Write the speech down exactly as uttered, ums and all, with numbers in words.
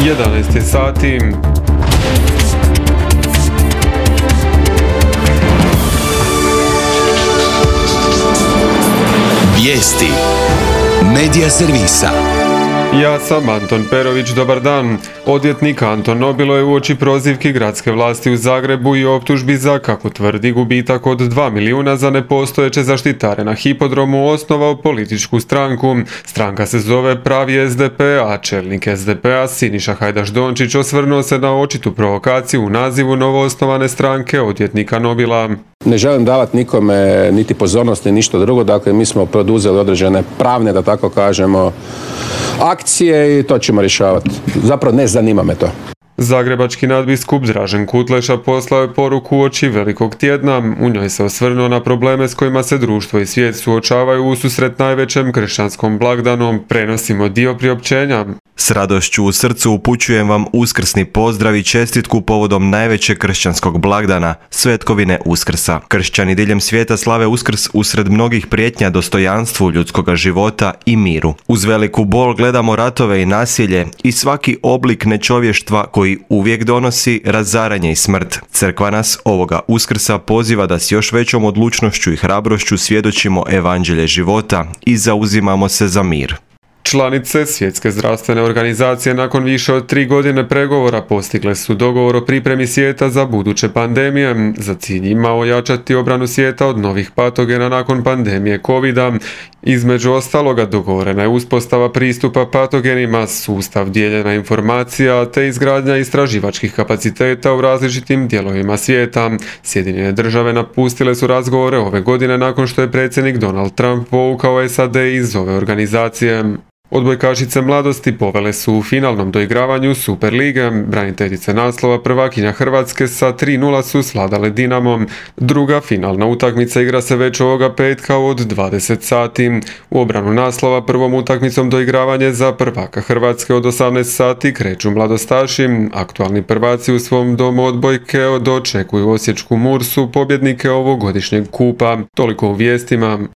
jedanaest je sati. Vijesti Medija servisa. Ja sam Anton Perović, dobar dan. Odvjetnik Anton Nobilo je uoči prozivki gradske vlasti u Zagrebu i optužbi za, kako tvrdi, gubitak od dva milijuna za nepostojeće zaštitare na hipodromu osnovao političku stranku. Stranka se zove Pravi S D P, a čelnik S D P-a Siniša Hajdaš Dončić osvrnuo se na očitu provokaciju u nazivu novoosnovane stranke odvjetnika Nobila. Ne želim davati nikome niti pozornost ni ništa drugo, dakle mi smo poduzeli određene pravne, da tako kažemo, akcije i to ćemo rješavati. Zapravo ne zanima me to. Zagrebački nadbiskup Dražen Kutleša poslao je poruku uoči Velikog tjedna. U njoj se osvrnuo na probleme s kojima se društvo i svijet suočavaju ususret najvećem kršćanskom blagdanu. Prenosimo dio priopćenja. S radošću u srcu upućujem vam uskrsni pozdrav i čestitku povodom najvećeg kršćanskog blagdana, svetkovine Uskrsa. Kršćani diljem svijeta slave Uskrs usred mnogih prijetnja dostojanstvu ljudskoga života i miru. Uz veliku bol gledamo ratove i nasilje i svaki oblik nečovještva koji uvijek donosi razaranje i smrt. Crkva nas ovoga Uskrsa poziva da s još većom odlučnošću i hrabrošću svjedočimo evanđelje života i zauzimamo se za mir. Članice Svjetske zdravstvene organizacije nakon više od tri godine pregovora postigle su dogovor o pripremi svijeta za buduće pandemije. Za cilj ima ojačati obranu svijeta od novih patogena nakon pandemije kovida. Između ostaloga dogovorena je uspostava pristupa patogenima, sustav dijeljenja informacija te izgradnja istraživačkih kapaciteta u različitim dijelovima svijeta. Sjedinjene države napustile su razgovore ove godine nakon što je predsjednik Donald Trump povukao S A D iz ove organizacije. Odbojkašice mladosti povele su u finalnom doigravanju Superlige. Braniteljice naslova prvakinja Hrvatske sa tri nula su svladale Dinamom. Druga finalna utakmica igra se već ovoga petka od dvadeset sati. U obranu naslova prvom utakmicom doigravanje za prvaka Hrvatske od osamnaest sati kreću mladostaši. Aktualni prvaci u svom domu odbojke dočekuju osječku Mursu, pobjednike ovogodišnjeg kupa. Toliko u vijestima.